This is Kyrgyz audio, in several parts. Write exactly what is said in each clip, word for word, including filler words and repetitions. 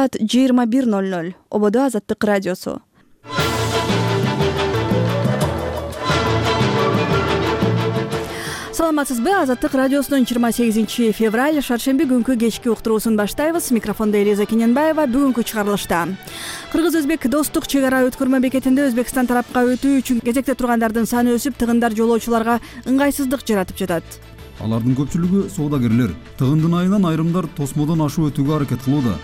саат жыйырма бир ноль ноль. Ободо Азаттык радиосу. Саламатсызбы? Азаттык радиосунун жыйырма сегизинчи февраль шаршемби күнкү кечки уктуруусун баштайбыз. Микрофондо Элиза Кененбаева. Бүгүнкү чыгарылышта Кыргыз-Өзбек достук чек ара өткөрмө бекетинде Өзбекстан тарапка өтүү үчүн кезекте тургандардын саны өсүп, тыгындар жолоочуларга ыңгайсыздык жаратып жатат. Алардын көпчүлүгү соодагерлер. Тыгындын айынан айрымдар тосмодон ашып өтүүгө аракет кылууда.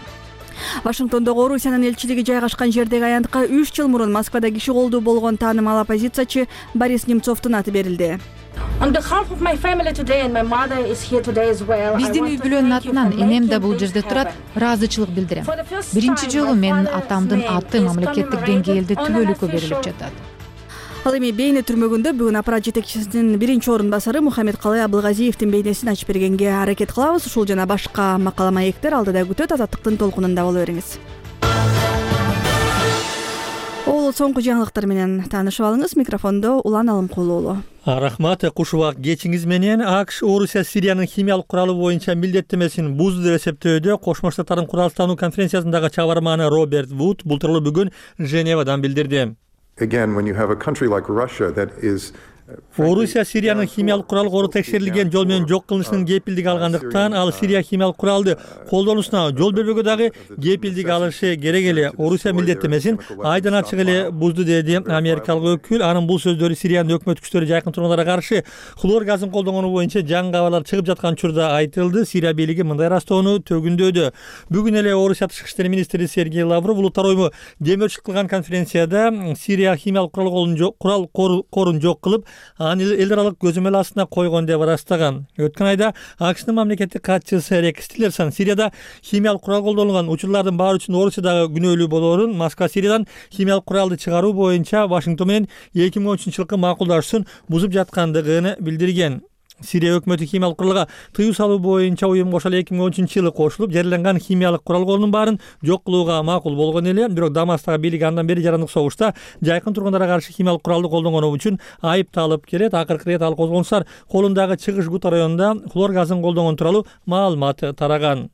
Вашингтондогу Орусиянын элчилиги жайгашкан жердеги аянтка үч жыл мурун Москвада киши колдуу болгон таанымал оппозициячы Борис Немцовдун аты берилди. Биздин үй бүлөнүн атынан энем да бул жерде турат, ыраазычылык билдирем. Биринчи жолу менин атамдын аты мамлекеттик деңгээлде түбөлүккө берилип жатат. Ал эми Бейне түрмөгүндө бүгүн аппарат жетекчисинин биринчи орун басары Мухаммедкалый Абылгазиевдин бейнесин ачып бергенге аракет кылабыз. Ушул жана башка макала маектер алдыда күтөт. Азаттыктын толкунунда боло бериңиз. Ол соңку жаңылыктар менен таанышып алыңыз. Микрофондо Улан Алымкулуу уулу. Рахмат, куш убак кечиңиз менен. АКШ Орусия Сириянын химиялык куралы боюнча милдеттемесин бузду деп эсептөөдө Кошмо Штаттардын куралдануу конференциясындагы чабарманы Роберт Вуд бул тууралуу бүгүн Женевадан билдирди. Again, when you have a country like Russia that is Орусия Сириянын химиялык курал кору текшерилген жол менен жок кылынышынын кепилдиги алгандыктан ал Сирия химиялык куралды колдонуусуна жол бербөөгө дагы кепилдик алышы керек эле. Орусия милдеттемесин айдан ачык эле бузду деди америкалык өкүл. Анын бул сөздөрү Сириянын өкмөт күчтөрү жайкын тургундарга каршы хлор газын колдонгону боюнча жаңы кабарлар чыгып жаткан учурда айтылды. Сирия бийлиги мындай ырастоону төгүндөдү. Бүгүн эле Орусия тышкы иштер министри Сергей Лавров улуттар ойму демөөрчүлүк кылган конференцияда Сирия химиялык курал корун жок кылып, аны эл аралык көзөмөл астына койгон деп ырастаган. Өткөн айда АКШнын мамлекеттик катчысы Рекс Тиллерсон Сирияда химиялык курал колдонулган учурлардын баары үчүн Орусиядагы күнөөлүү болоорун, Москва Сириядан химиялык куралды чыгаруу боюнча Вашингтон менен эки миң он үчүнчү жылкы макулдашуусун бузуп жаткандыгын билдирген. Сирия өкмөтү химиялык куралга тыюу салуу боюнча уюмга ошол эки миң он үчүнчү жылы кошулуп, жарыяланган химиялык курал колунун баарын жок кылууга макул болгон эле. Бирок Дамасктагы бийлик андан бери жарандык согушта жайкын тургундарга каршы химиялык куралды колдонгону үчүн айыпталып келет. Акыркы ирет ал козгонуштар колундагы Чыгыш Гута районунда хлор газын колдонгон тууралуу маалымат тараган.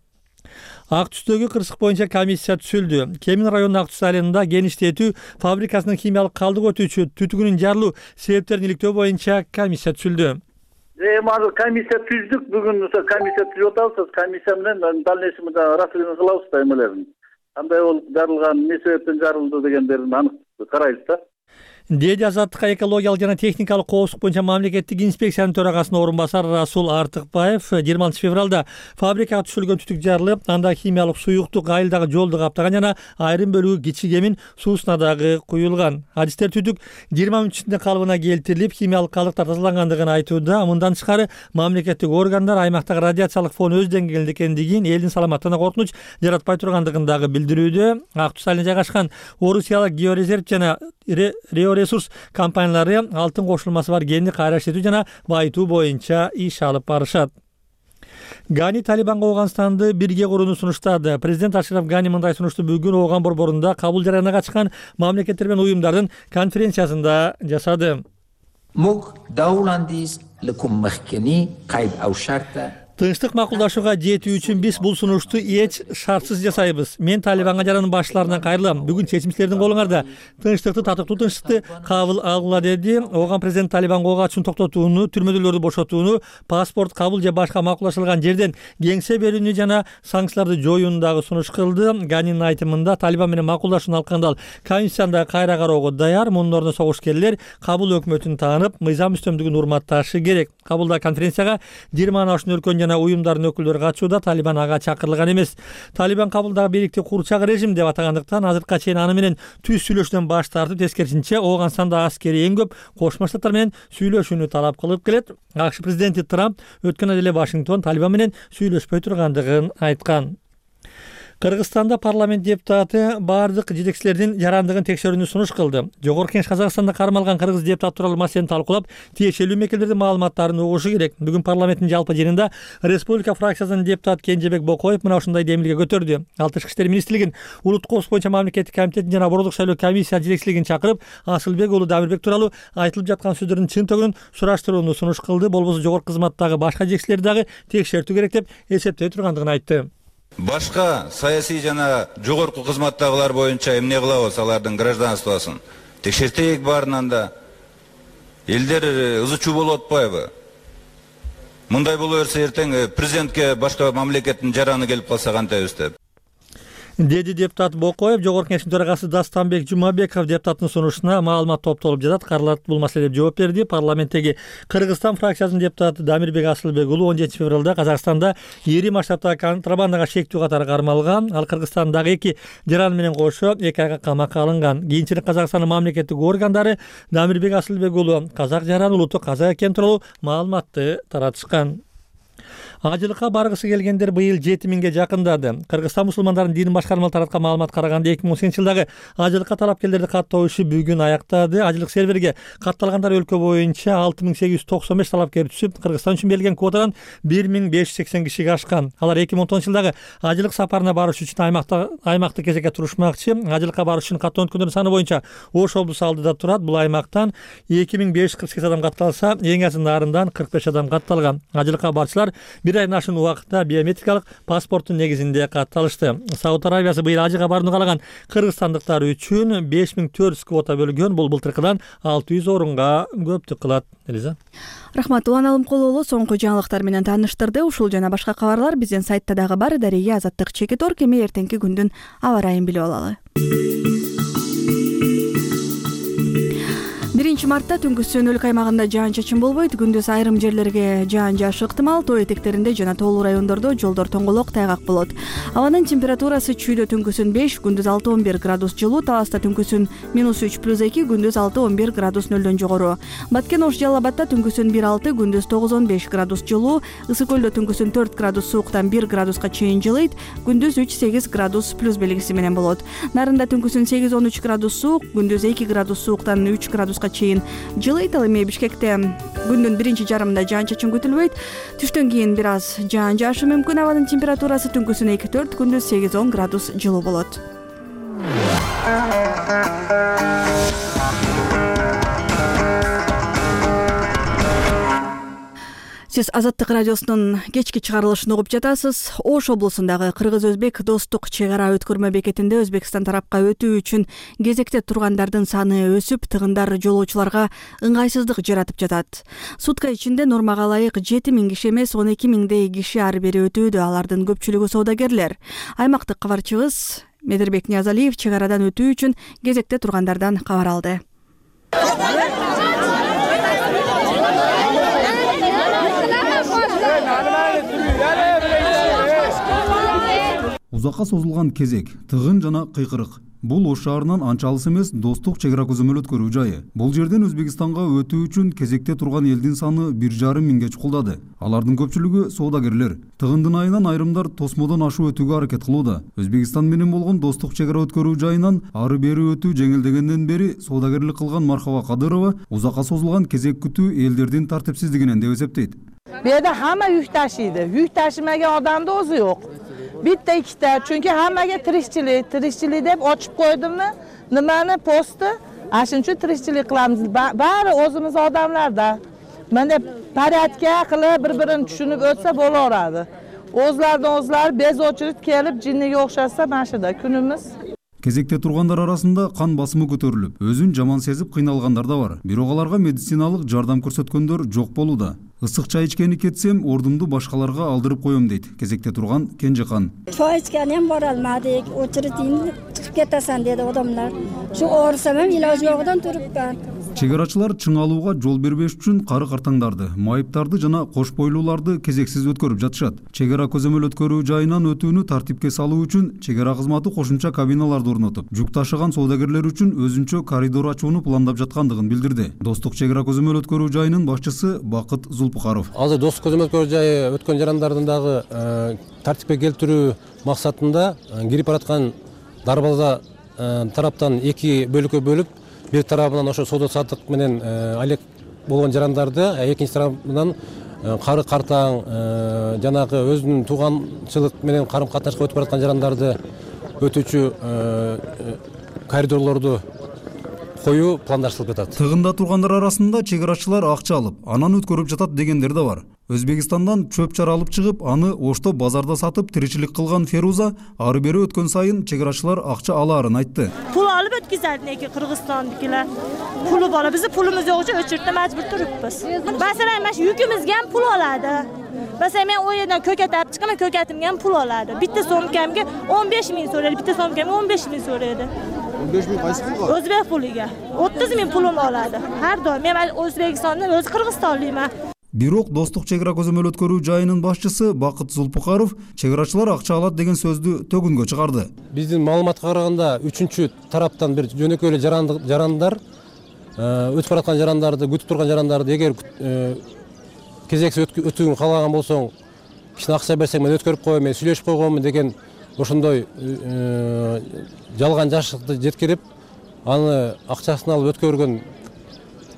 Ак түстөгү кырсык боюнча комиссия түзүлдү. Кемин районунун Ак түс айылында геништетүү фабрикасынын химиялык калдык өтүүчү түтүгүнүн жарылуу себептерин иликтөө боюнча комиссия түзүлдү. Эми азыр комиссия түздүк. Бүгүн ошо комиссия түзүп атабыз. Комиссия менен дальнейший расследование кылабыз да эмелерин. Кандай болуп жарылган, эмне себептен жарылды дегендерин анык карайбыз да. Деди Азаттыкка экологиялык жана техникалык коопсуздук боюнча мамлекеттик инспекциянын төрагасынын орун басары Расул Артыкбаев жыйырма алтынчы февралда фабрикага түшүрүлгөн түтүк жарылып, анда химиялык суюктук айылдагы жолду каптаган жана айрым бөлүгү кичи кемин суусуна дагы куюлган. Адистер түтүк жыйырма мүнөт ичинде калыбына келтирилип, химиялык калдыктар тазалангандыгын айтууда. Мындан тышкары мамлекеттик органдар аймактагы радиациялык фон өз деңгээлинде экендигин, элдин саламаттыгына коркунуч жаратпай тургандыгын дагы билдирүүдө. Ак түс айылында жайгашкан Орусиялык георезерв жана ресурс компаниялары алтын кошулмасы бар кенди кайра иштетүү жана байытуу боюнча иш алып барышат. Гани Талибанга Ооганстанды бирге курууну сунуштады. Президент Ашраф Гани мындай сунушту бүгүн Ооган борборунда кабыл жарыяна катышкан мамлекеттер менен уюмдардын конференциясында жасады. Тынчтык макулдашууга жетүү үчүн биз бул сунушту эч шартсыз жасайбыз. Мен Талибанга жаранын башчыларынан кайрылам. Бүгүн чечим силердин колуңарда. Тынчтыкты, татыктуу тынчтыкты кабыл алгыла деди. Ооган президент Талибанга ок атышын токтотууну, түрмөдүүлөрдү бошотууну, паспорт кабыл же башка макулдашылган жерден кеңсе берүүнү жана санкцияларды жоюуну дагы сунуш кылды. Ганинин айтымында Талибан менен макулдашууну алкандал комиссияда кайра кароого даяр. Мунун ордуна согушкерлер кабыл өкмөтүн таанып, мыйзам үстөмдүгүн урматташы керек. Кабылда конференцияга жыйырмадан ашуун өлкөнүн жана уюмдардын өкүлдөрү катышууда. Талибан ага чакырылган эмес. Талибан кабылдагы бийликти курчак режим деп атагандыктан азыркыга чейин аны менен түз сүйлөшүүдөн баш тартып, тескерисинче Ооганстанда аскери эң көп Кошмо Штаттар менен сүйлөшүүнү талап кылып келет. АКШ президенти Трамп өткөн айда эле Вашингтон Талибан менен сүйлөшпөй тургандыгын айткан. Кыргызстанда парламент депутаты бардык жетекчилердин жарандыгын текшерүүнү сунуш кылды. Жогорку Кеңеш Казакстанда кармалган кыргыз депутат тууралуу маселени талкуулап, тиешелүү мекемелердин маалыматтарын угушу керек. Бүгүн парламенттин жалпы жыйынында Республика фракциясынын депутаты Кенжебек Бокоев мына ушундай демилге көтөрдү. Ал Тышкы иштер министрлигин, Улуттук коопсуздук боюнча мамлекеттик комитетин жана Борбордук шайлоо комиссия жетекчилигин чакырып, Асылбек уулу Дамирбек тууралуу айтылып жаткан сөздөрдүн чын төгүнүн сураштырууну сунуш кылды. Болбосо жогорку кызматтагы башка жетекчилерди дагы текшертүү керек деп эсептей тургандыгын айтты. Башка саясий жана жогорку кызматтагылар боюнча эмне кылабыз, алардын гражданствосын текшертейик баарынан да. Элдер ызы чуу болуп атпайбы? Мындай боло берсе эртең президентке башка мамлекеттин жараны келип калса кантайбыз деп. Деди депутат Бокоев. Жогорку Кеңештин төрагасы Дастанбек Жумабеков депутаттын сунушуна маалымат топтолуп жатат. Каралат бул маселеге жооп берди. Парламенттеги Кыргызстан фракциясынын депутаты Дамирбек Асылбек уулу он жетинчи февралда Казакстанда ири масштабтагы контрабандага шектүү катары кармалган. Ал Кыргызстандагы эки жаран менен кошо эки айга камакка алынган. Кийинчерээк Казакстандын мамлекеттик органдары Дамирбек Асылбек уулу казак жараны улуттук казак экени тууралуу маалыматты таратышкан. Ажылыкка баргысы келгендер быйыл жети миңге жакындады. Кыргызстан мусулмандарынын дин башкармалары тараткан маалымат караганда эки миң он сегизинчи жылдагы ажылыкка талапкерлерди каттоо иши бүгүн аяктады. Ажылык серверге катталгандар өлкө боюнча алты миң сегиз жүз токсон беш талапкер түшүп, Кыргызстан үчүн берилген квотадан бир миң беш жүз сексен кишиге ашкан. Алар эки миң он тогузунчу жылдагы ажылык сапарына барыш үчүн аймакта аймакты кезекке турушмакчы. Ажылыкка барыш үчүн каттоо өткөндөрдүн саны боюнча Ош облусу алдыда турат. Бул аймактан эки миң беш жүз кырк сегиз адам катталса, эң аз нарындан кырк беш адам катталган. Ажылыкка барчылар бир айдан ашуун убакытта биометрикалык паспорттун негизинде катталышты. Сауд Арабиясы быйыл ажыга барууну каалаган кыргызстандыктар үчүн беш миң төрт жүз квота бөлгөн. Бул былтыркыдан алты жүз орунга көптүк кылат. Элиза. Рахмат. Улан Алымкулуулу соңку жаңылыктар менен тааныштырды. Ушул жана башка кабарлар биздин сайтта дагы бар. Дария Азаттык Чекитор кеми эртеңки күндүн аба ырайын билип алалы. биринчи мартта түнкүсүн өлкө аймагында жаан-чачын болбойт. Күндүз айрым жерлерге жаан жаашы ыктымал. Тоо этектеринде жана тоолуу райондордо жолдор тоңголок, тайгак болот. Абанын температурасы чүйдө түнкүсүн беш, күндүз алты он бир градус жылуу, Таласта түнкүсүн минус үч плюс эки, күндүз алты он бир градус нөлдөн жогору. Баткен Ош Жалал Абадта түнкүсүн бир алты, күндүз тогуз он беш градус жылуу, Ысык Көлдө түнкүсүн төрт градус сууктан бир градуска чейин жылыйт, күндүз үч сегиз градус плюс белгиси менен болот. Нарында түнкүсүн сегиз он үч градус суук, күндүз эки градус сууктан үч градуска чейин жылыйт. Ал эми Бишкекте күндүн биринчи жарымында жаан-чачын күтүлбөйт. Түштөн кийин бир аз жаан жаашы мүмкүн. Абанын температурасы түнкүсүн эки төрт, күндүз сегиз он градус жылуу болот. Сиз Азаттык радиосунун кечки чыгарылышын угуп жатасыз. Ош облусундагы кыргыз-өзбек достук чек ара өткөрмө бекетинде Өзбекстан тарапка өтүү үчүн кезекте тургандардын саны өсүп, тыгындар жолоочуларга ыңгайсыздык жаратып жатат. Сутка ичинде нормага ылайык жети миң киши эмес, он эки миңдей киши ары бери өтүүдө. Алардын көпчүлүгү саудагерлер. Аймактык кабарчыбыз Медербек Ниязалиев чек арадан өтүү үчүн кезекте тургандардан кабар алды. Узакка созулган кезек, тыгын жана кыйкырык. Бул Ош шаарынан анча алыс эмес достук чек ара көзөмөл өткөрүү жайы. Бул жерден Өзбекстанга өтүү үчүн кезекте турган элдин саны бир жарым миңге чукулдады. Алардын көпчүлүгү соодагерлер. Тыгындын айынан айрымдар тосмодон ашуу өтүүгө аракет кылууда. Өзбекстан менен болгон достук чек ара өткөрүү жайынан ары бери өтүү жеңилдегенден бери соодагерлик кылган Мархаба Кадырова узакка созулган кезек күтүү элдердин тартипсиздигинен деп эсептейт. Bu yerda hamma yük taşıydı. Yük taşımagan odamda o'zi yo'q. Bitta ikkita, chunki hammaga tirikchilik, tirikchilik deb ochib qo'ydimmi? Nimani posti? Ashuning uchun tirikchilik qilamiz. Bari o'zimiz odamlarda. Mana porядка qilib bir-birini tushunib o'tsa bo'laveradi. O'zlaridan o'zlari bez очередь kelib jinniga o'xshasa mana shuda kunimiz. Кезекте тургандар арасында кан басымы көтөрүлүп, өзүн жаман сезип кыйналгандар да бар. Бирок аларга медициналык жардам көрсөткөндөр жок болууда. Ысык чай ичкени кетсем, ордумду башкаларга алдырып коем дейт кезекте турган Кенжехан. Чай ичкени ham бара алмадык, очередин чыгып кетесен деди адамдар. Шу оорусам ham илож жогудан турупман. Чек арачылар чың алууга жол бербеш үчүн кары картаңдарды, майыптарды жана кош бойлууларды кезексиз өткөрүп жатышат. Чек ара көзөмөл өткөрүү жайынан өтүүнү тартипке салуу үчүн чек ара кызматы кошумча кабиналарды орнотуп, жүк ташыган соодагерлер үчүн өзүнчө коридор ачууну пландап жаткандыгын билдирди. Достук чек ара көзөмөл өткөрүү жайынын башчысы Бакыт Зулпукаров. Азыр достук көзөмөл өткөрүү жайы өткөн жарандардын дагы тартипке келтирүү максатында кирип бараткан дарбаза тараптан эки бөлүккө бөлүп, бир тарабынан ошо соода саттык менен алек болгон жарандарды, экинчи тарабынан кары картаң жанагы өзүнүн тууганчылык менен карым катнашка өтүп бараткан жарандарды өтүүчү коридорлорду коюу пландаштырылып жатат. Тыгында тургандар арасында чек арачылар акча алып, анан өткөрүп жатат дегендер да бар. Өзбекстандан чөп чар алып чыгып, аны Ошто базарда сатып тиричилик кылган Феруза ары бери өткөн сайын чек арачылар акча алаарын айтты. Pul alıp ötkizerdi neki Kırgızistandakiler. Pulu bana bizi pulumuz yok için öçürtme mecbur turibmiz. Mesela men yükümüzge ham pul oladi. Mesela men o yerden köket alıp çıkaman köketimge ham pul oladi. Bitta somkamga o'n besh ming so'raydi, bitta somkamga o'n besh ming so'raydi. o'n besh ming qaysi pulga? O'zbek puliga. o'ttiz ming pulum oladi. Har doim men O'zbekistondan o'zi Qirg'izistonlikman. Бирок достук чек ара көзөмөл өткөрүү жайынын башчысы Бакыт Зулпукаров чек арачылар акча алат деген сөздү төгүнгө чыгарды. Биздин маалыматка караганда үчүнчү тараптан бир жөнөкөй эле жарандар өтүп бараткан жарандарды, күтүп турган жарандарды эгер кезексиз өтүүнү каалаган болсоң, кичине акча берсең мен өткөрүп коем, мен сүйлөшүп койгонмун деген ошондой жалган жашыкты жеткирип, аны акчасын алып өткөргөн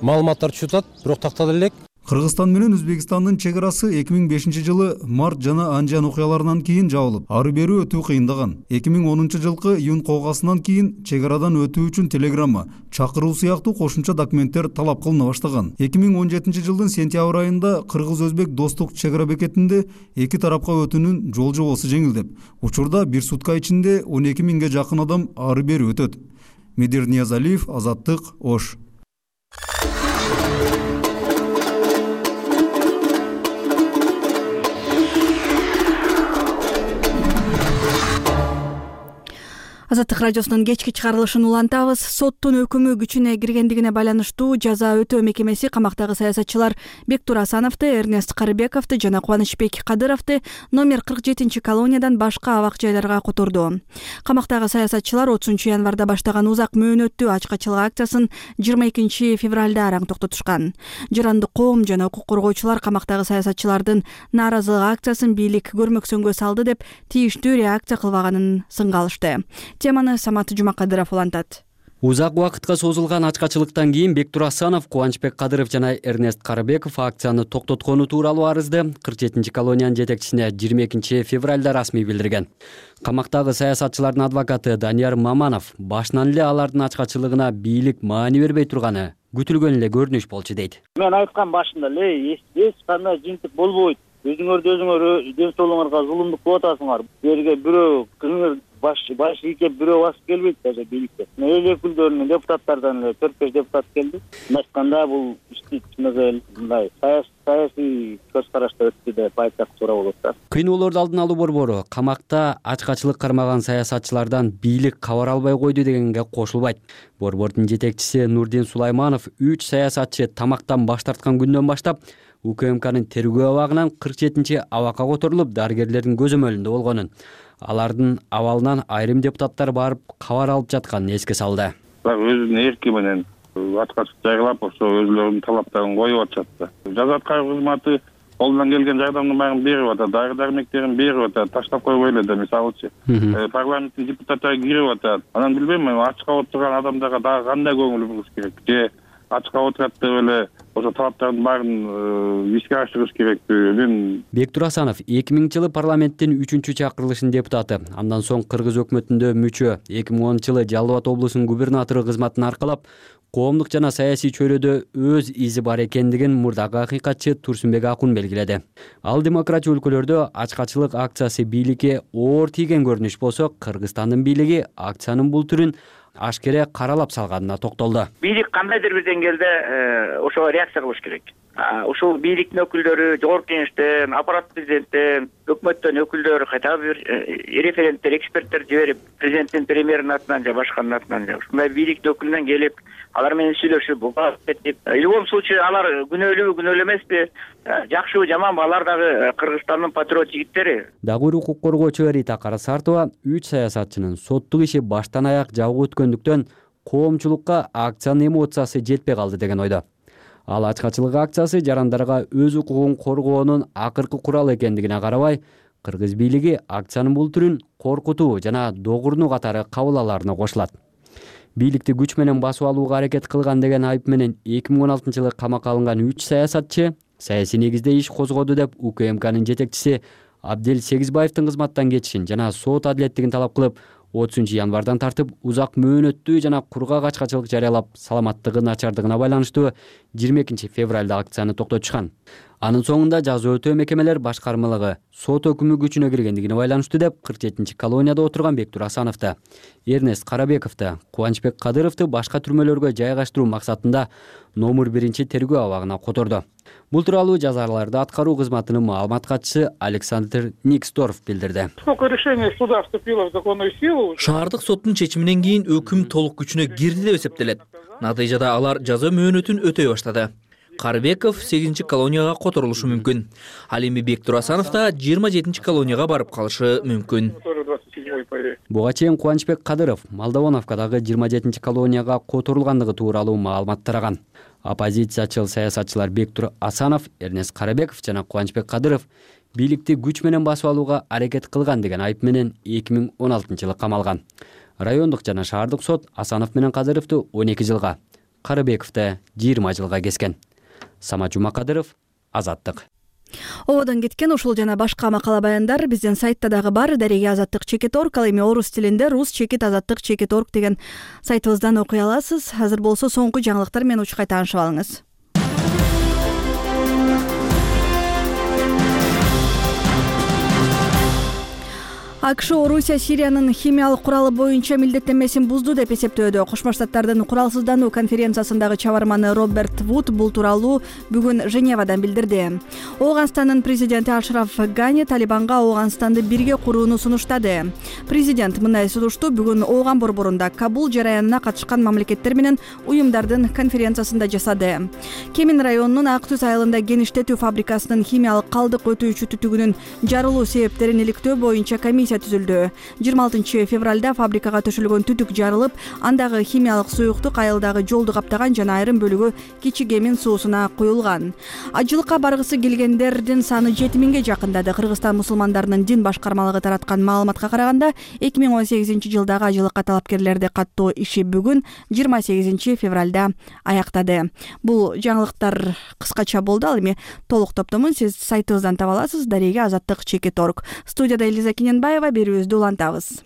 маалыматтар чутат, бирок тактала элек. Кыргызстан менен Өзбекстандын чек арасы эки миң бешинчи жылы март жана анжан окуяларынан кийин жабылып, ары бери өтүү кыйындаган. эки миң онунчу жылкы июнь колгасынан кийин чек арадан өтүү үчүн телеграмма, чакыруу сыяктуу кошумча документтер талап кылына баштаган. эки миң он жетинчи жылдын сентябрь айында Кыргыз-Өзбек достук чек ара бекетинде эки тарапка өтүүнүн жол жобосу жеңилдеп, учурда бир сутка ичинде он эки миңге жакын адам ары бери өтөт. Медир Ниязалиев, Азаттык, Ош. Азаттык радиосунун кечки чыгарылышын улантабыз. Соттун өкүмү күчүнө киргендигине байланыштуу жаза өтөө мекемеси камактагы саясатчылар Бектур Асановду, Эрнест Карыбековду жана Кубанычбек Кадыровду номер кырк жетинчи колониядан башка абак жайларга которду. Камактагы саясатчылар отузунчу январда баштаган узак мөөнөттүү ачкачылык акциясын жыйырма экинчи февралда араң токтотушкан. Жарандык коом жана укук коргоочулар камактагы саясатчылардын нааразылык акциясын бийлик көрмөксөнгө салды деп тийиштүү реакция кылбаганын сынга алышты. Теманы Самат Жумакадыров улантат. Узак убакытка созулган ачкачылыктан кийин Бектур Асанов, Кубанычбек Кадыров жана Эрнест Карыбеков акцияны токтоткону тууралуу арызды кырк жетинчи колониянын жетекчисине жыйырма экинчи февралда расмий билдирген. Камактагы саясатчылардын адвокаты Данияр Маманов башынан эле алардын ачкачылыгына бийлик маани бербей турганы күтүлгөн эле көрүнүш болчу дейт. Мен айткан башында эле эч кандай жыйынтык болбойт. Өзүңөрдү өзүңөр ден соолугуңарга зулумдук кылып атасыңар. Жерге бирөө кызыңыр баш баш ийке бирөө басып келбейт даже бийликте. Эл өкүлдөрүнүн депутаттардан эле төрт беш депутат келди. Айтканда бул ишти чыныгы мындай саясий көз карашта өттү деп айтсак туура болот да. Кыйноолорду алдын алуу борбору камакта ачкачылык кармаган саясатчылардан бийлик кабар албай койду дегенге кошулбайт. Борбордун жетекчиси Нурдин Сулайманов үч саясатчы тамактан баш тарткан күндөн баштап УКМКнын тергөө абагынан кырк жетинчи абакка которулуп, дарыгерлердин көзөмөлүндө болгонун, алардын абалынан айрым депутаттар барып кабар алып жатканын эске салды. Өзүнүн эрки менен ачкачык жайгылап, ошо өзүлөрүнүн талаптарын коюп атышат да. Жаза аткаруу кызматы колунан келген жардамдын баарын берип атат, дары дармектерин берип атат, таштап койбой эле да, мисалычы. Парламенттин депутаттары кирип атат. Анан билбейм, ачка отурган адамдарга дагы кандай көңүл буруш керек? Же ачка отурат деп эле ошо талаптардын баарын ишке ашырыш керекпи? Мен Бектур Асанов эки миңинчи жылы парламенттин үчүнчү чакырылышынын депутаты, андан соң Кыргыз өкмөтүндө мүчө, эки миң онунчу жылы Жалал Абад облусунун губернатору кызматын аркалап, коомдук жана саясий чөйрөдө өз изи бар экендигин мурдагы акыйкатчы Турсунбек Акун белгиледи. Ал демократия өлкөлөрдө ачкачылык акциясы бийликке оор тийген көрүнүш болсо, Кыргызстандын бийлиги акциянын бул түрүн ашкере каралап салганына токтолду. Бийлик кандайдыр бир деңгээлде ошого реакция кылыш керек. Ушул бийликтин өкүлдөрү, жогорку кеңештен, аппарат президенттен, өкмөттөн өкүлдөр кайта бир референттер, эксперттер жиберип, президенттин, премьердин атынан же башканын атынан же ушундай бийликтин өкүлүнөн келип, алар менен сүйлөшүп, этип, в любом случае алар күнөөлүүбү, күнөөлүү эмеспи, жакшыбы, жаманбы, алар дагы Кыргызстандын патриот жигиттери. Дагы укук коргоочу Рита Карасартова үч саясатчынын соттук иши баштан аяк жабык өткөндүктөн коомчулукка акциянын эмоциясы жетпей калды деген ойдо. Ал ачкачылык акциясы жарандарга өз укугун коргоонун акыркы куралы экендигине карабай, Кыргыз бийлиги акциянын бул түрүн коркутуу жана догурнуу катары кабыл аларына кошулат. Бийликти күч менен басып алууга аракет кылган деген айып менен эки миң он алтынчы жылы камакка алынган үч саясатчы саясий негизде иш козгоду деп УКМКнын жетекчиси Абдел Сегизбаевдин кызматтан кетишин жана сот адилеттигин талап кылып, отузунчу январдан тартып узак мөөнөттүү жана кургак ачкачылык жарыялап саламаттыгы начардыгына байланыштуу жыйырма экинчи февралда акцияны токтотушкан. Анын соңунда жаза өтөө мекемелер башкармалыгы сот өкүмү күчүнө киргендигине байланыштуу деп кырк жетинчи колонияда отурган Бектур Асановду, Эрнест Карабековду, Кубанычбек Кадыровду башка түрмөлөргө жайгаштыруу максатында номер биринчи тергөө абагына которду. Бул тууралуу жазаларды аткаруу кызматынын маалымат катчысы Александр Никсдорф билдирди. Шаардык соттун чечиминен кийин өкүм толук күчүнө кирди деп эсептелет. Натыйжада алар жаза мөөнөтүн өтөй баштады. Карбеков сегизинчи колонияга которулушу мүмкүн. Ал эми Бектур Асанов да жыйырма жетинчи колонияга барып калышы мүмкүн. Буга чейин Кубанычбек Кадыров Молдовановкадагы жыйырма жетинчи колонияга которулгандыгы тууралуу маалымат тараган. Оппозициячыл саясатчылар Бектур Асанов, Эрнест Карабеков жана Кубанычбек Кадыров бийликти күч менен басып алууга аракет кылган деген айып менен эки миң он алтынчы жылы камалган. Райондук жана шаардык сот Асанов менен Кадыровду он эки жылга, Карабековду жыйырма жылга кескен. Самат Жумакадыров, Азаттык. Ободон кеткен ушул жана башка макала баяндар биздин сайтта дагы бар. Дареги Азаттык чекит точка орг, ал эми орус тилинде рус чекит азаттык чекит точка орг деген сайтыбыздан окуй аласыз. Азыр болсо соңку жаңылыктар менен учкай таанышып алыңыз. АКШ Орусия Сириянын химиялык куралы боюнча милдеттенмесин бузду деп эсептөөдө. Кошмо Штаттардын куралсыздануу конференциясындагы чабарманы Роберт Вуд бул тууралуу бүгүн Женевадан билдирди. Ооганстандын президенти Ашраф Гани Талибанга Ооганстанды бирге курууну сунуштады. Президент мындай сунушту бүгүн Ооган борборунда Кабул жараянына катышкан мамлекеттер менен уюмдардын конференциясында жасады. Кемин районунун Ак Түз айылында кеништетүү фабрикасынын химиялык калдык өтүүчү түтүгүнүн жарылуу себептерин иликтөө боюнча комиссия түзүлдү. жыйырма алтынчы февралда фабрикага төшөлгөн түтүк жарылып, андагы химиялык суюктук айылдагы жолду каптаган жана айрым бөлүгү Кичи Кемин суусуна куюлган. Ажылыкка баргысы келгендердин саны жети миңге жакындады. Кыргызстан мусулмандарынын дин башкармалыгы тараткан маалыматка караганда, эки миң он сегизинчи жылдагы ажылыкка талапкерлерди каттоо иши бүгүн жыйырма сегизинчи февралда аяктады. Бул жаңылыктар кыскача болду. Ал эми толук топтомун сиз сайтыбыздан таба аласыз. Дареги азаттык чекит точка орг. Студияда Элиза Кененбаева, берүүбүздү улантабыз.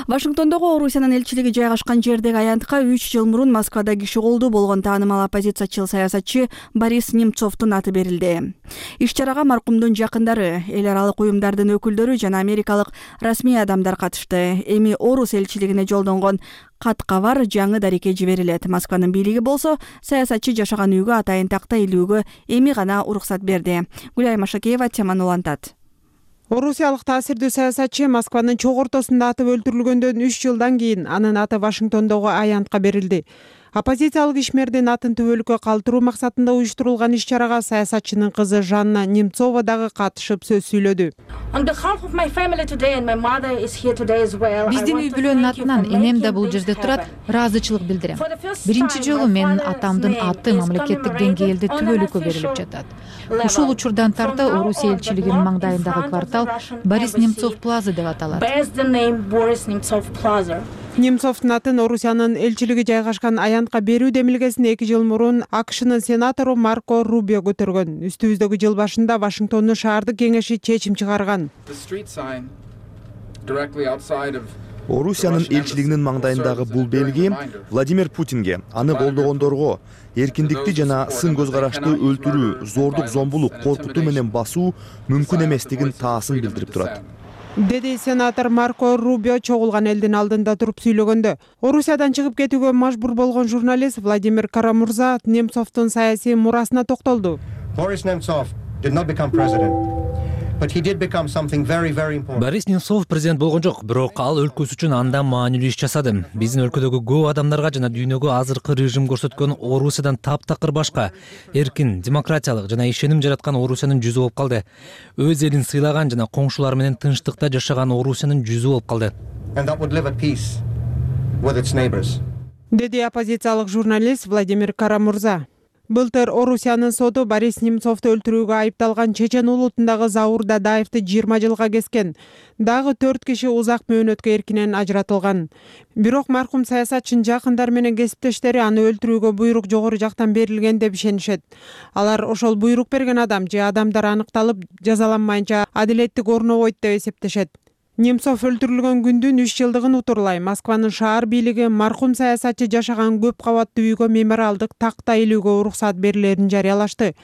Вашингтондогу Орусиянын элчилиги жайгашкан жердеги аянтка үч жыл мурун Москвада киши колдуу болгон таанымал оппозициячыл саясатчы Борис Немцовдун аты берилди. Иш-чарага маркумдун жакындары, эл аралык уюмдардын өкүлдөрү жана америкалык расмий адамдар катышты. Эми Орус элчилигине жолдонгон кат кабар жаңы дарекке жиберилет. Москванын бийлиги болсо саясатчы жашаган үйгө атайын такта илүүгө эми гана уруксат берди. Гүлай Машакеева теманы улантат. Орусиялык таасирдүү саясатчы Москванын чок ортосунда атып өлтүрүлгөндөн үч жылдан кийин анын аты Вашингтондогу аянтка берилди. Оппозициялык ишмердин атын түбөлүккө калтыруу максатында уюштурулган иш-чарага саясатчынын кызы Жанна Немцова дагы катышып сөз сүйлөдү. Биздин үй бүлөнүн атынан энем да бул жерде турат, ыраазычылык билдирем. Биринчи жолу менин атамдын аты мамлекеттик деңгээлде түбөлүккө берилип жатат. Ушул учурдан тарта Орусия элчилигинин маңдайындагы квартал Борис Немцов плаза деп аталат. Немцовдун атын Орусиянын элчилиги жайгашкан аянтка берүү демилгесин эки жыл мурун АКШнын сенатору Марко Рубио көтөргөн. Үстүбүздөгү жыл башында Вашингтондун шаардык кеңеши чечим чыгарган. Орусиянын элчилигинин маңдайындагы бул белги Владимир Путинге, аны колдогондорго эркиндикти жана сын көз карашты өлтүрүү, зордук, зомбулук, коркутуу менен басуу мүмкүн эместигин таасын билдирип турат, деди сенатор Марко Рубио чогулган элдин алдында туруп сүйлөгөндө. Орусиядан чыгып кетүүгө мажбур болгон журналист Владимир Карамурза Немцовдун саясий мурасына токтолду. Борис Немцов did not become president. But he did become something very very important. Борис Немцов президент болгон жок, бирок ал өлкөсү үчүн андан маанилүү иш жасады. Биздин өлкөдөгү көп адамдарга жана дүйнөгө азыркы режим көрсөткөн Орусиядан таптакыр башка, эркин, демократиялык жана ишеним жараткан Орусиянын жүзү болуп калды. Өз элин сыйлаган жана коңшулары менен тынчтыкта жашаган Орусиянын жүзү болуп калды. And that would live at peace with its neighbors. Деди оппозициялык журналист Владимир Карамурза. Былтыр Орусиянын соту Борис Немцовду өлтүрүүгө айыпталган Чечен улутундагы Заур Дадаевди жыйырма жылга кескен. Дагы төрт киши узак мөөнөткө эркинен ажыратылган. Бирок маркум саясатчынын жакындары менен кесиптештери аны өлтүрүүгө буйрук жогору жактан берилген деп ишенишет. Алар ошол буйрук берген адам же адамдар аныкталып жазаланмайынча адилеттик орнобойт деп эсептешет. Немцов өлтүрүлгөн күндүн үч жылдыгын утурлай Москванын шаар бийлиги маркум саясатчы жашаган көп кабаттуу үйгө мемориалдык такта илүүгө уруксат берилерин жарыялашты.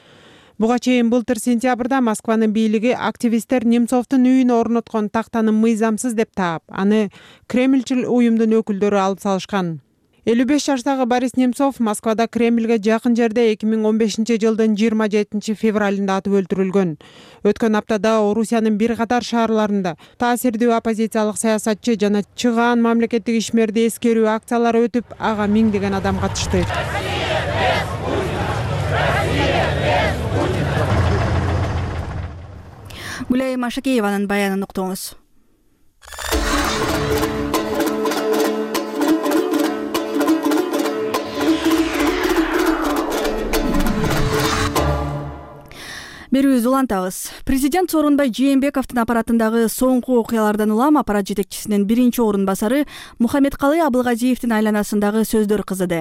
Буга чейин былтыр сентябрда Москванын бийлиги активисттер Немцовдун үйүнө орноткон тактаны мыйзамсыз деп таап, аны Кремльчил уюмдун өкүлдөрү алып салышкан. элүү беш жаштагы Борис Немцов Москвада Кремльге жакын жерде эки миң он бешинчи жылдын жыйырма жетинчи февралында атып өлтүрүлгөн. Өткөн аптада Орусиянын бир катар шаарларында таасирдүү оппозициялык саясатчы жана чыгаан мамлекеттик ишмерди эскерүү акциялары өтүп, ага миңдеген адам катышты. Гүлай Машакееванын баянын уктуңуз. Берүүбүздү улантабыз. Президент Сооронбай Жээнбековдун аппаратындагы соңку окуялардан улам аппарат жетекчисинин биринчи орун басары Мухаммедкалый Абылгазиевдин айланасындагы сөздөр кызыды.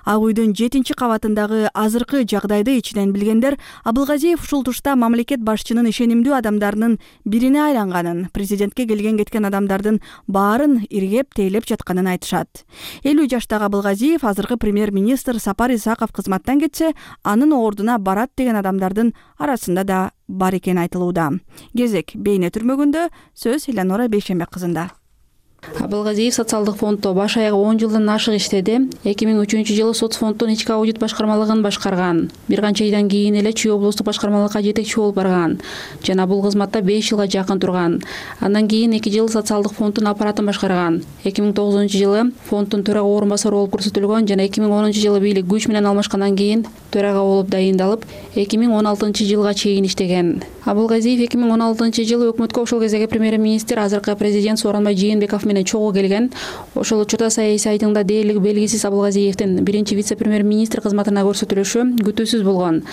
Ак үйдүн жетинчи кабатындагы азыркы жагдайды ичинен билгендер Абылгазиев ушул тушта мамлекет башчынын ишенимдүү адамдарынын бирине айланганын, президентке келген кеткен адамдардын баарын иргеп тейлеп жатканын айтышат. элүү жаштагы Абылгазиев азыркы премьер-министр Сапар Исаков кызматтан кетсе, анын ордуна барат деген адамдардын арасында да бар экени айтылууда. Кезек бейне түрмөгүндө сөз Эланора Бейшембек кызында. Абылгазиев социалдык фонддо баш аягы он жылдан ашык иштеди. эки миң үчүнчү жылы соцфонддун ички аудит башкармалыгын башкарган. Бир канча айдан кийин эле Чүй облустук башкармалыкка жетекчи болуп барган жана бул кызматта беш жылга жакын турган. Андан кийин эки жыл социалдык фонддун аппаратын башкарган. эки миң тогузунчу жылы фонддун төрага орун басары болуп көрсөтүлгөн жана эки миң онунчу жылы бийлик күч менен алмашкандан кийин төрага болуп дайындалып, эки миң он алтынчы жылга чейин иштеген. Абылгазиев эки миң он алтынчы жылы өкмөткө ошол кездеги премьер-министр, азыркы президент Сооронбай Жээнбеков менен чогуу келген. Ошол учурда саясий айтыңда дээрлиги белгисиз Абылгазиевдин биринчи вице-премьер-министр кызматына көрсөтүлүшү күтүүсүз болгон.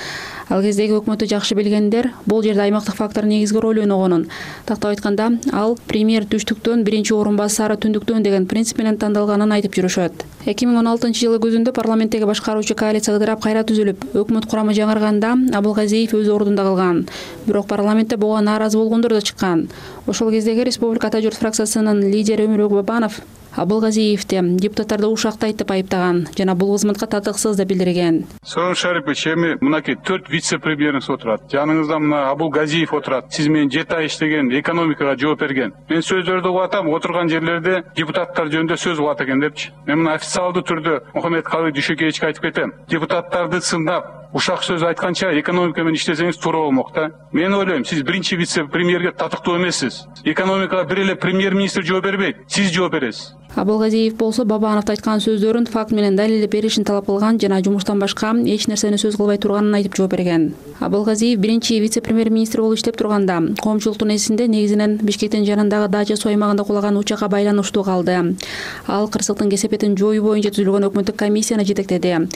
Ал кездеги өкмөттү жакшы билгендер бул жерде аймактык фактор негизги роль ойногонун, тактап айтканда, ал премьер түштүктөн, биринчи орун басары түндүктөн деген принцип менен тандалганын айтып жүрүшөт. эки миң он алтынчы жылы күзүндө парламенттеги башкаруучу коалиция ыдырап кайра түзүлүп, өкмөт курамы жаңырганда Абылгазиев өз ордунда калган. Бирок парламентте буга нааразы болгондор да чыккан. Ошол кездеги Республика Ата журт фракциясынын лидери Өмүрбек Бабанов Абылгазиевди депутаттарды ушактайт деп айыптаган жана бул кызматка татыксыз деп билдирген. Сооронбай Шарипович, эми мынакей төрт вице-премьериңиз отурат. Жаныңызда мына Абылгазиев отурат. Сиз менен жети ай иштеген, экономикага жооп берген. Мен сөздөрдү угуп атам, отурган жерлерде депутаттар жөнүндө сөз угат экен депчи. Мен мына официалдуу түрдө Мухаммедкалый Дүйшөкеевичке айтып кетем. Депутаттарды сындап, ушак сөз айтканча экономика менен иштесеңиз туура болмок да. Мен ойлойм, сиз биринчи вице-премьерге татыктуу эмессиз. Экономикага бир эле премьер-министр жооп бербейт, сиз жооп бересиз. Абылгазиев болсо Бабановдун айткан сөздөрүн факт менен далилдеп беришин талап кылган жана жумуштан башка эч нерсени сөз кылбай турганын айтып жооп берген. Абылгазиев биринчи вице-премьер-министр болуп иштеп турганда коомчулуктун эсинде негизинен Бишкектин жанындагы Дача суу аймагында кулаган учакка байланыштуу калды. Ал кырсыктын кесепетин жоюу боюнча түзүлгөн өкмөттүк комиссияны жетектеди.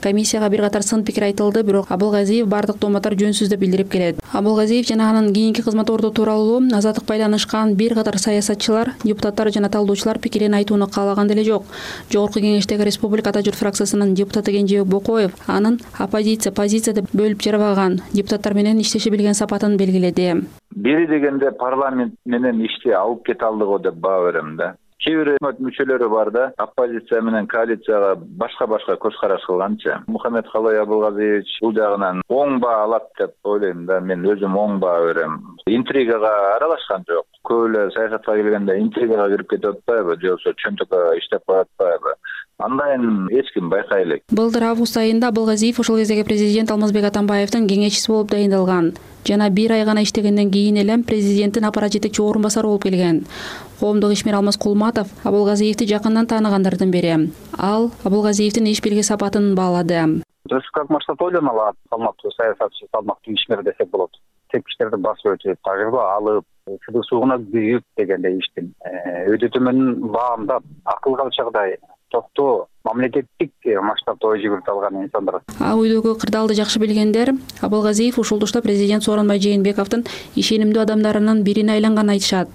Комиссияга бир катар сын пикир айтылды, бирок Абылгазиев бардык дооматтар жөнсүз деп билдирип келет. Абылгазиев жана анын кийинки кызмат орду тууралуу азаттык байланышкан бир катар саясатчылар, депутаттар жана талдоочулар пикирин айтууну каалаган деле жок. Жогорку кеңештеги Республика Ата журт фракциясынын депутаты Кенжебек Бокоев анын оппозиция, позиция деп бөлүп жарабаган, депутаттар менен иштеше билген сапатын белгиледи. Бери дегенде парламент менен ишти алып кете алдыго деп баа берем да. Кээ бир өкмөт мүчөлөрү бар да, оппозиция менен коалицияга башка-башка көз караш кылганчы. Мухаммедкалый Абылгазиевич бул жагынан оң баа алат деп ойлойм да, мен өзүм оң баа берем. Интригага аралашкан жок. Көп эле саясатка келгенде интригага кирип кетип атпайбы, же болбосо чөнтөккө иштеп атпайбы? Андайын эч ким байкай элек. Былтыр август айында Абылгазиев ошол кездеги президент Алмазбек Атамбаевдин кеңешчиси болуп дайындалган. Жана бир ай гана иштегенден кийин эле президенттин аппарат жетекчи орун басары болуп келген. Коомдук ишмер Алмаз Кулматов Абылгазиевди жакындан тааныгандардын бири. Ал Абылгазиевдин иш бирге сапатын баалады. Республика максат ойлоно алат, салмактуу саясатчы, салмактуу ишмер десек болот. Тепкичтерди басып өтүп, тажрыйба алып, сыдык суугуна күйүп дегендей иштин өтө төмөн баамдап, акыл алчагдай токтоо мамлекеттик масштабта ой жүгүртүп алган инсандар. А үйдөгү кырдаалды жакшы билгендер Абылгазиев ушулдушта президент Сооронбай Жээнбековдун ишенимдүү адамдарынын бирине айланганын айтышат.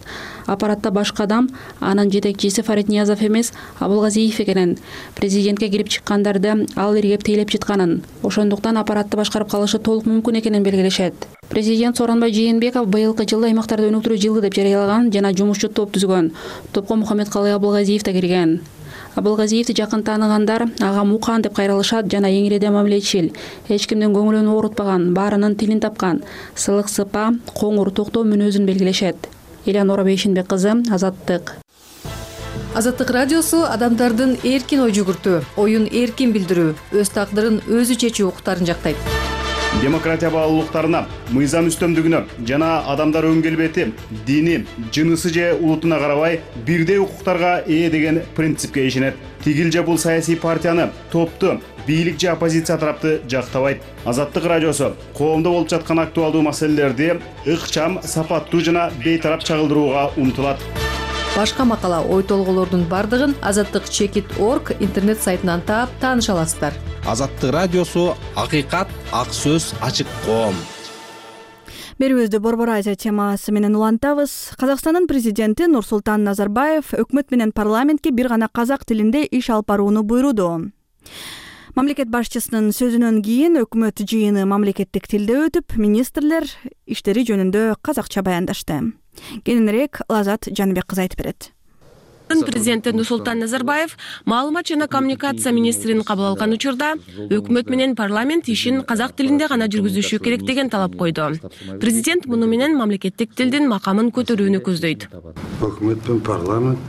Аппаратта башка адам анын жетекчиси Фарид Ниязов эмес, Абылгазиев экенин, президентке кирип чыккандарды ал иргеп тейлеп жатканын, ошондуктан аппаратты башкарып калышы толук мүмкүн экенин белгилешет. Президент Сооронбай Жээнбеков быйылкы жылда аймактарды өнүктүрүү жылы деп жарыялаган жана жумушчу топ түзгөн. Топко Мухаммедкалый Абылгазиев да кирген. Абылгазиевди жакын тааныгандар ага Мукан деп кайрылышат жана эңиреде мамилечил, эч кимдин көңүлүн оорутпаган, баарынын тилин тапкан, сылык сыпа, коңур токтоо мүнөзүн белгилешет. Элеонора Бейшенбек кызы, Азаттык. Азаттык радиосу адамдардын эркин ой жүгүртүү, оюн эркин билдирүү, өз тагдырын өзү чечүү укуктарын жактайт. Демократия баалуулуктарына, мыйзам үстөмдүгүнө жана адамдар өң келбети, дини, жынысы же улутуна карабай бирдей укуктарга ээ деген принципке ишенет. Тигил же бул саясий партияны, топту, бийлик же оппозиция тарапты жактабайт. Азаттык радиосу коомдо болуп жаткан актуалдуу маселелерди ыкчам, сапаттуу жана бейтарап чагылдырууга умтулат. Башка макала, ой толголордун бардыгын азаттык чекит точка орг интернет сайтынан таап тааныша аласыздар. Азаттык радиосу акыйкат, ак сөз, ачык коом. Берүүбүздү Борбор Азия темасы менен улантабыз. Казакстандын президенти Нурсултан Назарбаев өкмөт менен парламентке бир гана казак тилинде иш алып барууну буйруду. Мамлекет башчысынын сөзүнөн кийин өкмөт жыйыны мамлекеттик тилде өтүп, министрлер иштери жөнүндө казакча баяндашты. Кененирээк Лазат Жаныбек кызы айтып берет. Президенти Нурсултан Назарбаев маалымат жана коммуникация министрин кабыл алган учурда өкмөт менен парламент ишин казак тилинде гана жүргүзүшү керек деген талап койду. Президент муну менен мамлекеттик тилдин макамын көтөрүүнү көздөйт. Өкмөт менен парламент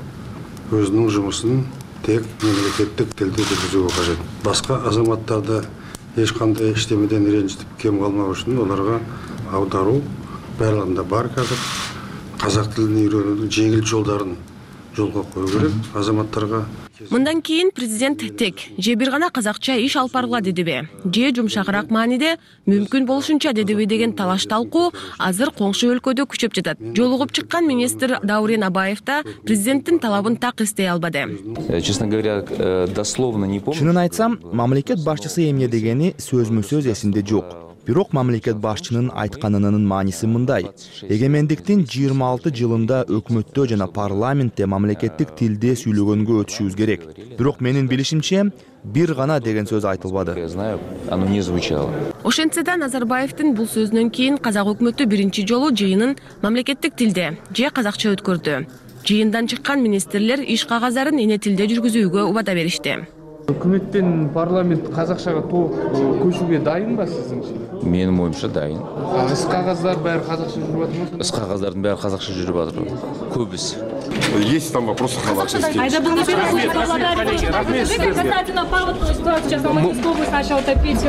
өзүнүн жумушун тек мемлекеттик тилде жүргүзүүгө кажет. Башка азаматтарды эч кандай иштемеден ренжитип кем калмак үчүн аларга аударуу барлыгында бар казак. Казак тилин үйрөнүүнүн жеңил жолдарын жолго коюу керек азаматтарга. Мындан кийин президент тек же бир гана казакча иш алып баргыла дедиби, же жумшагыраак мааниде мүмкүн болушунча дедиби деген талаш талкуу азыр коңшу өлкөдө күчөп жатат. Жолугуп чыккан министр Даурен Абаев да президенттин талабын так эстей албады. Честно говоря, дословно не помню. Чынын айтсам, мамлекет башчысы эмне дегени сөзмө-сөз эсимде жок. Бирок мамлекет башчынын айтканынын мааниси мындай: эгемендиктин жыйырма алты жылында өкмөттө жана парламентте мамлекеттик тилде сүйлөгөнгө өтүшүбүз керек. Бирок менин билишимче бир гана деген сөз айтылбады. Оно не звучало. Ошентсе да Назарбаевдин бул сөзүнөн кийин казак өкмөтү биринчи жолу жыйынын мамлекеттик тилде же казакча өткөрдү. Жыйындан чыккан министрлер иш кагаздарын эне тилде жүргүзүүгө убада беришти. Өкмөттен парламент казакчага толук көчүүгө дайынбы сиздинче? Менин оюмча дайын. Іс кагаздар баары казакча жүрүп атпайбы? Іс кагаздардын баары казакча жүрүп атат. Көбүсү. Есть там вопросы халатовские. Айда bunu bir касательно паводковой ситуации сейчас Алматинской области начал топить.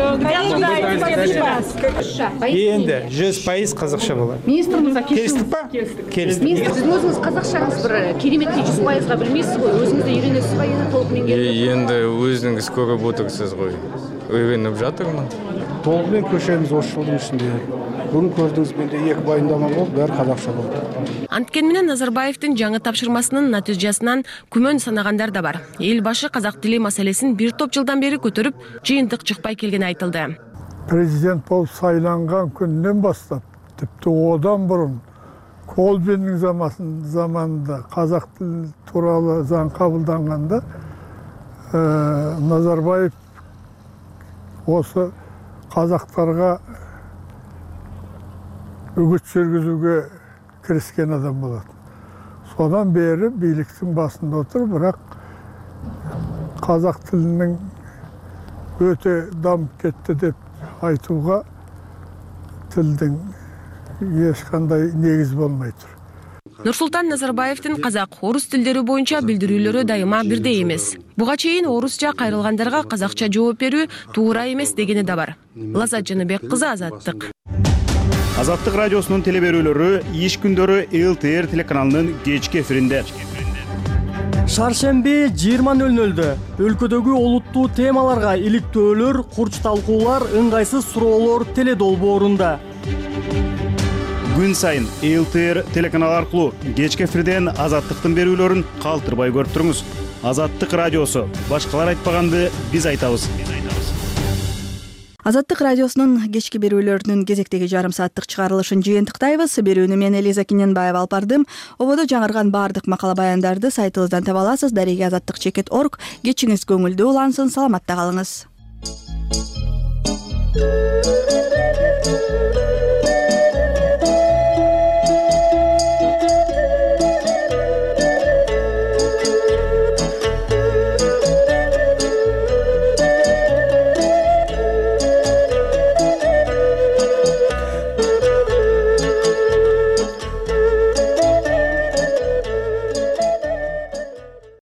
Енді жүз пайыз казакча болот. Министрimiz келистик ба? Келистик. Министр, сиз өзүңүз казакчаңыз бир кереметтей жүз пайызга билмейсиз го, өзүңүз да үйрөнөсүз ба, эне толук меңгерип? Енді өзүңүз көрүп отурсуз го. Үйрөнүп жатырмын. Толук менен көчөбүз ош жылдын ичинде. Бүгүн көрдүңүз, менде эки баяндама болду, баары казакча болду. Анткени менен Назарбаевдин жаңы тапшырмасынын натыйжасынан күмөн санагандар да бар. Эл башы казак тили маселесин бир топ жылдан бери көтөрүп, жыйынтык чыкпай келгени айтылды. Президент болуп сайланган күндөн баштап, типти одан мурун Колбиндин заманында казак тили тууралуу заң кабылданганда Назарбаев осы казактарга үгүт жүргүзүүгө киришкен адам болот. Содан бери бийликтин басында отуруп, бирок казак тилинин өтө дамып кетти деп айтууга тилдин эч кандай негиз болмой тур. Нурсултан Назарбаевдин казак, орус тилдери боюнча билдирүүлөрү дайыма бирдей эмес. Буга чейин орусча кайрылгандарга казакча жооп берүү туура эмес дегени да бар. Лазат Жаныбек кызы, Азаттык. Азаттык радиосунун телеберүүлөрү иш күндөрү эл тэ эр телеканалынын кечки эфиринде. Шаршемби жыйырма нөл нөлдө өлкөдөгү олуттуу темаларга иликтөөлөр, курч талкуулар, ыңгайсыз суроолор теледолбоорунда. Күн сайын эл тэ эр телеканалы аркылуу кечки эфирден Азаттыктын берүүлөрүн калтырбай көрүп туруңуз. Азаттык радиосу. Башкалар айтпаганды биз айтабыз. Азаттык радиосунун кечки берүүлөрүнүн кезектеги жарым сааттык чыгарылышын жыйынтыктайбыз. Берүүнү мен Элиза Кененбаева алып бардым. Ободо жаңырган баардык макала баяндарды сайтыбыздан таба аласыз. Дареги азаттык чекит точка орг. Кечиңиз көңүлдүү улансын. Саламатта калыңыз.